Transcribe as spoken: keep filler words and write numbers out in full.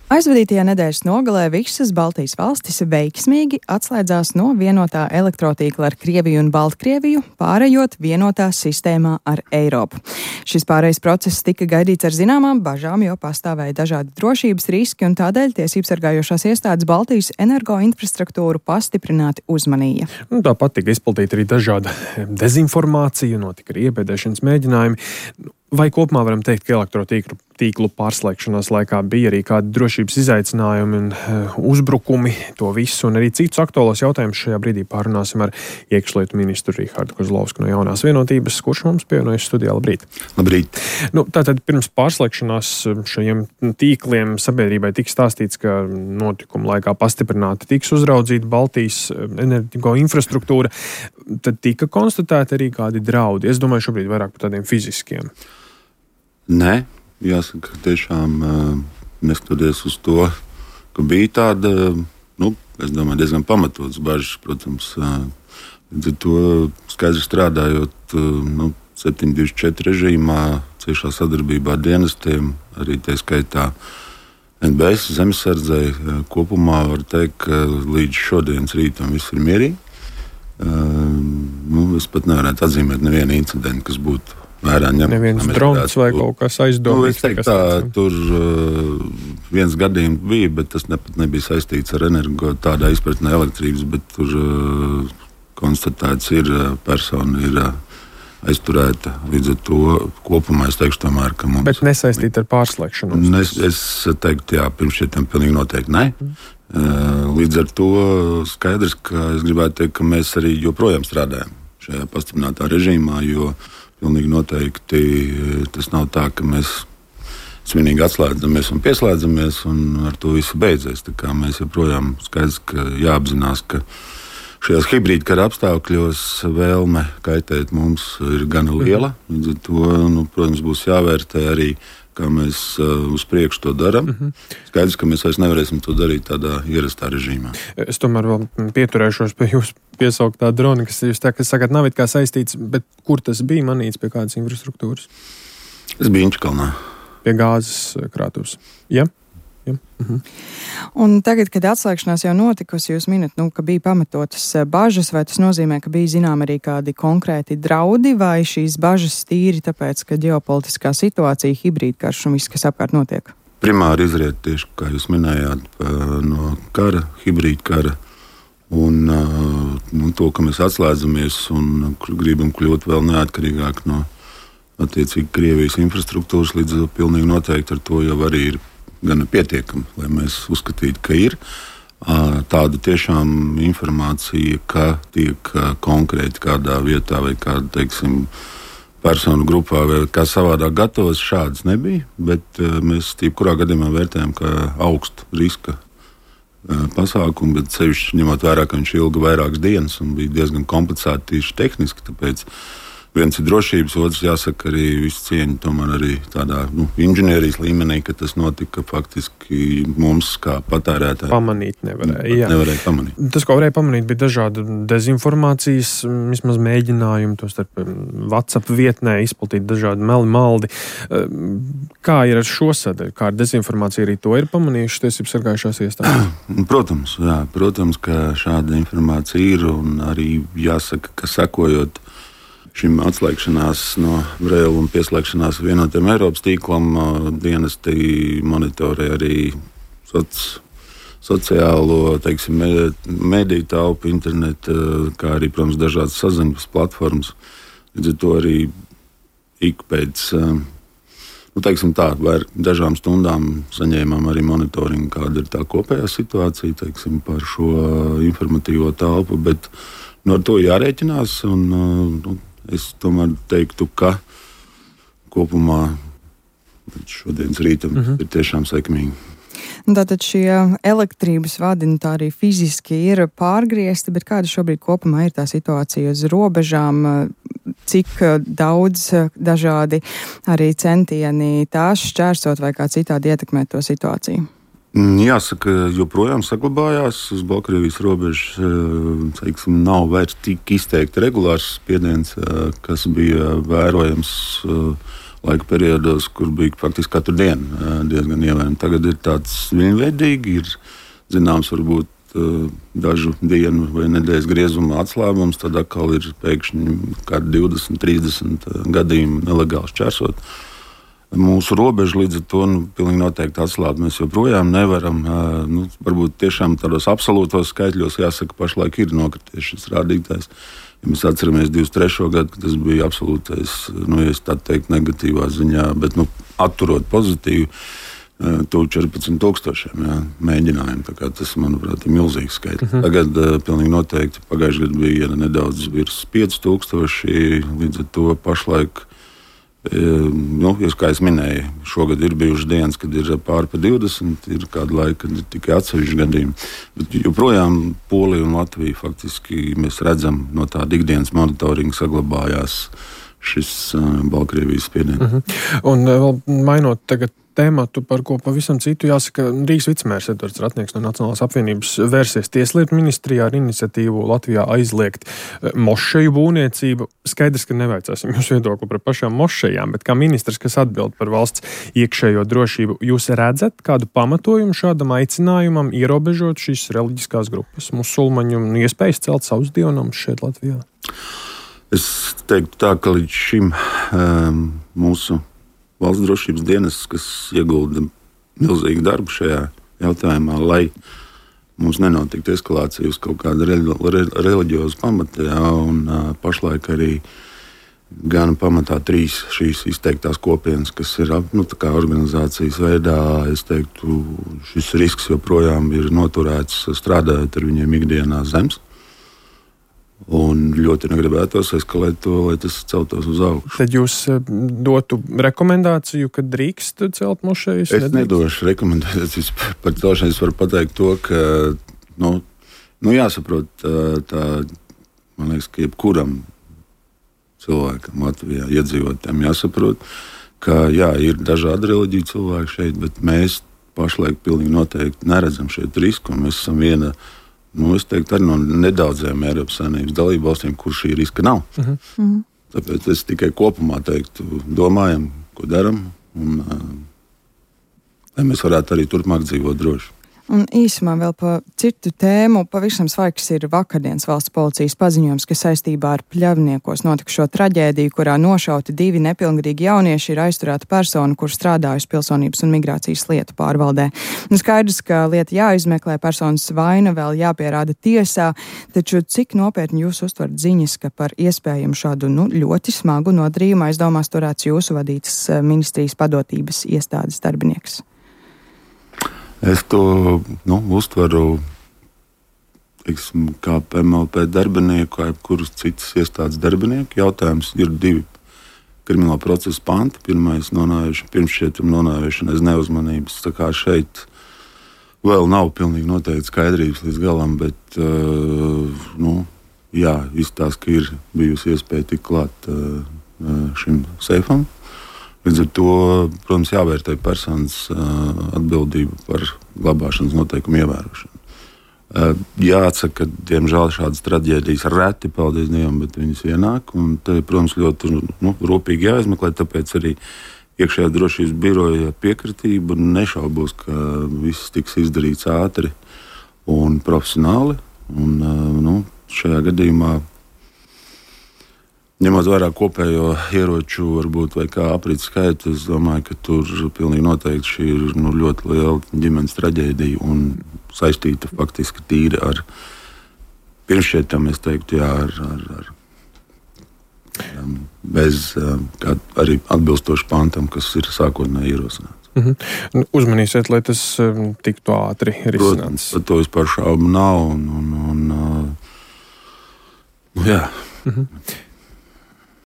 Aizvadītajā nedēļas nogalē visas Baltijas valstis veiksmīgi atslēdzās no vienotā elektrotīkla ar Krieviju un Baltkrieviju, pārējot vienotā sistēmā ar Eiropu. Šis pārējais process tika gaidīts ar zināmām bažām, jo pastāvēja dažādi drošības riski, un tādēļ tiesības sargājošās iestādes Baltijas energoinfrastruktūru pastiprināti uzmanīja. Tāpat tika izplatīta arī dažāda dezinformācija, notika arī iebēdēšanas mēģinājumi. Vai kopumā varam teikt, ka elektrotīklu tīklu pārslēgšanās laikā bija arī kādi drošības izaicinājumi un uh, uzbrukumi, to visu un arī citus aktuālos jautājumus šajā brīdī pārunāsim ar iekšlietu ministru Rihardu Kozlovsku no Jaunās vienotības, kurš mums pievienojas studijā. Labrīt! Labrīt! Nu, tātad pirms pārslēgšanās šajiem tīkliem sabiedrībai tika stāstīts, ka notikuma laikā pastiprināti tiks uzraudzīta Baltijas energo infrastruktūra. Tad tika konstatēti arī kādi draudi. Es domāju šobrīd vairāk par tādiem fiziskiem. Nē, jāsaka, tiešām neskatoties uz to, ka bija tāda, nu, es domāju, diezgan pamatots bažas, protams, līdz ar to skaidri strādājot, nu, septiņi divdesmit četri režīmā, ciešā sadarbībā ar dienestiem, arī tā skaitā N B S, zemesardzei, kopumā var teikt, ka līdz šodienas rītam viss ir mierīgi. Nu, es pat nevarētu atzīmēt nevienu incidentu, kas būtu vērā ņemt. Neviens drons vai kaut kas aizdomīgs. Nu, es teiktu tā, tur uh, viens gadījums bija, bet tas ne, nebija saistīts ar energo tādā izpratnē elektrības, bet tur uh, konstatēts ir, persona ir uh, aizturēta. Līdz ar to kopumā es teikšu tomēr, ka mums... Bet nesaistīt ar pārslēgšanu? Es, es teiktu, jā, pirms šitiem pilnīgi noteikti ne. Mm. Uh, līdz ar to skaidrs, ka es gribētu teikt, ka mēs arī joprojām strādājam šajā pastiprinātā režīmā, jo pilnīgi noteikti tas nav tā, ka mēs svinīgi atslēdzamies un pieslēdzamies un ar to visu beidzēs. Tā kā mēs joprojām skaidrs, ka jāapzinās, ka šajās hibrīda kara apstākļos vēlme kaitēt mums ir gana liela. Līdz ar to, nu, protams, būs jāvērtē arī, kā mēs uh, uz priekšu to darām. Skaidrs, ka mēs vairs nevarēsim to darīt tādā ierastā režīmā. Es tomēr vēl pieturēšos pie jūsu piesauktā drona, kas jūs tā, kas sakat, nav it kā saistīts, bet kur tas bija manīts, pie kādas infrastruktūras? Es biju Inčkalnā. Pie gāzes krātuves. Ja? Ja. Mhm. Un tagad, kad atslēgšanās jau notikusi, jūs minat, nu, ka bija pamatotas bažas, vai tas nozīmē, ka bija zinām arī kādi konkrēti draudi, vai šīs bažas tīri tāpēc, ka ģeopolitiskā situācija, hibrīdkarš un viss, kas apkārt notiek? Primāri izriet tieši, kā jūs minējāt, no kara, hibrīdkara. Un nu, to, ka mēs atslēdzamies un gribam kļūt vēl neatkarīgāk no attiecīgi Krievijas infrastruktūras, līdz pilnīgi noteikti ar to jau arī ir gana pietiekami, lai mēs uzskatītu, ka ir tāda tiešām informācija, ka tiek konkrēti kādā vietā vai kāda, teiksim, personu grupā vai kā savādāk gatavas, šādas nebija, bet mēs jebkurā gadījumā vērtējam, ka augstu riska pasākumu, bet sevišķi ņemot vērā, ka viņš ilga vairākas dienas un bija diezgan komplicēti tieši tehniski, tāpēc viens ir drošības, otrs jāsaka arī visu cieņu tomēr arī tādā nu, inženierijas līmenī, ka tas notika faktiski mums kā patērētāji. Pamanīt nevarēja, jā. Nevarēja pamanīt. Tas, ko varēja pamanīt, bija dažādi dezinformācijas, vismaz mēģinājumi, to starp WhatsApp vietnē izplatīt dažādi meli maldi. Kā ir ar šo sadaļu? Kā ar dezinformāciju arī to ir pamanījuši tiesības sargājušās iestādes? Protams, jā, protams, ka šāda informācija ir un arī jāsaka, ka sekojot šim atslēgšanās no Brēla un pieslēgšanās vienotiem Eiropas tīklam, dienesti monitorē arī soc, sociālo, teiksim, mediju telpu, internetu, kā arī, protams, dažādas saziņas platformas. Līdz ar to arī ik pēc, nu, teiksim tā, vai dažām stundām saņēmām arī monitoringu, kāda ir tā kopējā situācija, teiksim, par šo informatīvo telpu, bet no ar to jārēķinās un, nu, es tomēr teiktu, ka kopumā šodienas rītam mm-hmm. ir tiešām sekmīgi. Tātad šie elektrības vadi nu, tā arī fiziski ir pārgriezti, bet kāda šobrīd kopumā ir tā situācija uz robežām, cik daudz dažādi arī centieni tās šķērsot vai kā citādi ietekmēt to situāciju? Jāsaka, joprojām saglabājās uz Baltkrievijas robežas, teiksim, nav vairs tik izteikti regulārs spiediens, kas bija vērojams laika periodos, kur bija faktiski katru dienu diezgan ievērojami. Tagad ir tāds viņveidīgi, ir zināms varbūt dažu dienu vai nedēļas griezumā atslābums, tad atkal ir pēkšņi kādi divdesmit, trīsdesmit gadījumi nelegāli šķērsot mūsu robežu. Līdz ar to nu, pilnīgi noteikti atslābt mēs joprojām nevaram. Nu, varbūt tiešām tādos absolūtos skaitļos jāsaka, pašlaik ir nokrities šis rādītājs. Ja mēs atceramies divdesmit trešo gadu, kad tas bija absolūtais, nu, ja es tā teiktu, negatīvā ziņā, bet nu, atturot pozitīvu, to četrpadsmit tūkstošiem jā, mēģinājumu. Tā kā tas, manuprāt, ir milzīgs skaitlis. Uh-huh. Tagad uh, pilnīgi noteikti pagājušajā gadā bija nedaudz virs pieci tūkstoši, līdz ar to pašlaik, e, nu, kā es minēju, šogad ir bijušas dienas, kad ir pāri pa divdesmit, ir kāda laika, kad ir tikai atsevišķi gadījumi. Bet joprojām Polija un Latvija faktiski mēs redzam no tāda ikdienas monitoringa saglabājās šis uh, Baltkrievijas spiediens. Uh-huh. Un vēl mainot tagad tēmatu, par ko pavisam citu jāsaka, Rīgas vicemērs Edvards Ratnieks no Nacionālās apvienības vērsies Tieslietu ministrijā ar iniciatīvu Latvijā aizliegt mošeju būvniecību. Skaidrs, ka nevaicāsim jūs viedokli par pašām mošejām, bet kā ministrs, kas atbild par valsts iekšējo drošību, jūs redzat kādu pamatojumu šādam aicinājumam ierobežot šīs reliģiskās grupas musulmaņu un iespējas celt savus dievnamus šeit Latvijā? Es teiktu tā, ka līdz šim um, mūsu valsts drošības dienas, kas iegulda milzīgu darbu šajā jautājumā, lai mums nenotiktu eskalācija uz kaut kādu reļ- re- reliģiozu pamatu, jā, un uh, pašlaik arī gan pamatā trīs šīs izteiktās kopienas, kas ir nu, tā kā organizācijas veidā, es teiktu, šis risks joprojām ir noturēts strādājot ar viņiem ikdienā zemes. Un ļoti negribētos eskalēt to, lai tas celtos uz augšu. Tad jūs dotu rekomendāciju, ka drīkst celt mošejas? Es nedošu rekomendācijas par celšanu. Es varu pateikt to, ka nu, nu jāsaprot tā, man liekas, ka jebkuram cilvēkam Latvijā iedzīvotājiem jāsaprot, ka jā, ir dažādi reliģiju cilvēki šeit, bet mēs pašlaik pilnīgi noteikti neredzam šeit risku, un mēs esam viena, nu, es teiktu, arī no nedaudziem Eiropas Savienības dalību valstīm, kur šī riska nav. Uh-huh. Uh-huh. Tāpēc es tikai kopumā teiktu, domājam, ko daram, un uh, lai mēs varētu arī turpmāk dzīvot droši. Un īsumā vēl par citu tēmu. Pavisam svaigs ir vakardienas valsts policijas paziņojums, ka saistībā ar Pļavniekos notikušo traģēdiju, kurā nošauti divi nepilngadīgi jaunieši, ir aizturēta persona, kur strādājusi pilsonības un migrācijas lietu pārvaldē. Un skaidrs, ka lieta jāizmeklē, personas vaina vēl jāpierāda tiesā, taču cik nopietni jūs uztverat ziņas, ka par iespējamu šādu nu, ļoti smagu nodarījumu aizdomās turēts jūsu vadītas ministrijas padotības iestādes darbinieks? Es to nu, uztveru teiksim, kā M L P darbinieku, kā jebkurus citas iestādes darbinieku. Jautājums ir divi krimināla procesa panti. Pirmais nonāvēšana, pirmšķietuma nonāvēšana aiz neuzmanības. Tā kā šeit vēl nav pilnīgi noteikti skaidrības līdz galam, bet uh, nu, jā, izstāsta, ka ir bijusi iespēja tikt klāt uh, šim seifam. Līdz ar to, protams, jāvērtē personas uh, atbildība par glabāšanas noteikumu ievērošanu. Uh, jāatsaka, ka, diemžēl, šādas traģēdijas reti, paldies Dievam, bet viņas ienāk. Un te, protams, ļoti nu, rūpīgi jāizmeklē, tāpēc arī iekšējā drošības biroja piekritība nešaubos, ka viss tiks izdarīts ātri un profesionāli. Un, uh, nu, šajā gadījumā ņemot vērā kopējo ieroču, varbūt vai kā aprits skaitu, es domāju, ka tur pilnīgi noteikti šī ir nu, ļoti liela ģimenes traģēdija un saistīta faktiski tīri ar pirmšķietam, es teiktu, jā, ar, ar, ar bez kā arī atbilstoši pantam, kas ir sākotnēji ierosināts. Mm-hmm. Uzmanīsiet, lai tas um, tiktu ātri risināts. Protams, par to vispār šaubu nav un, un, un uh, nu, jā. Mm-hmm.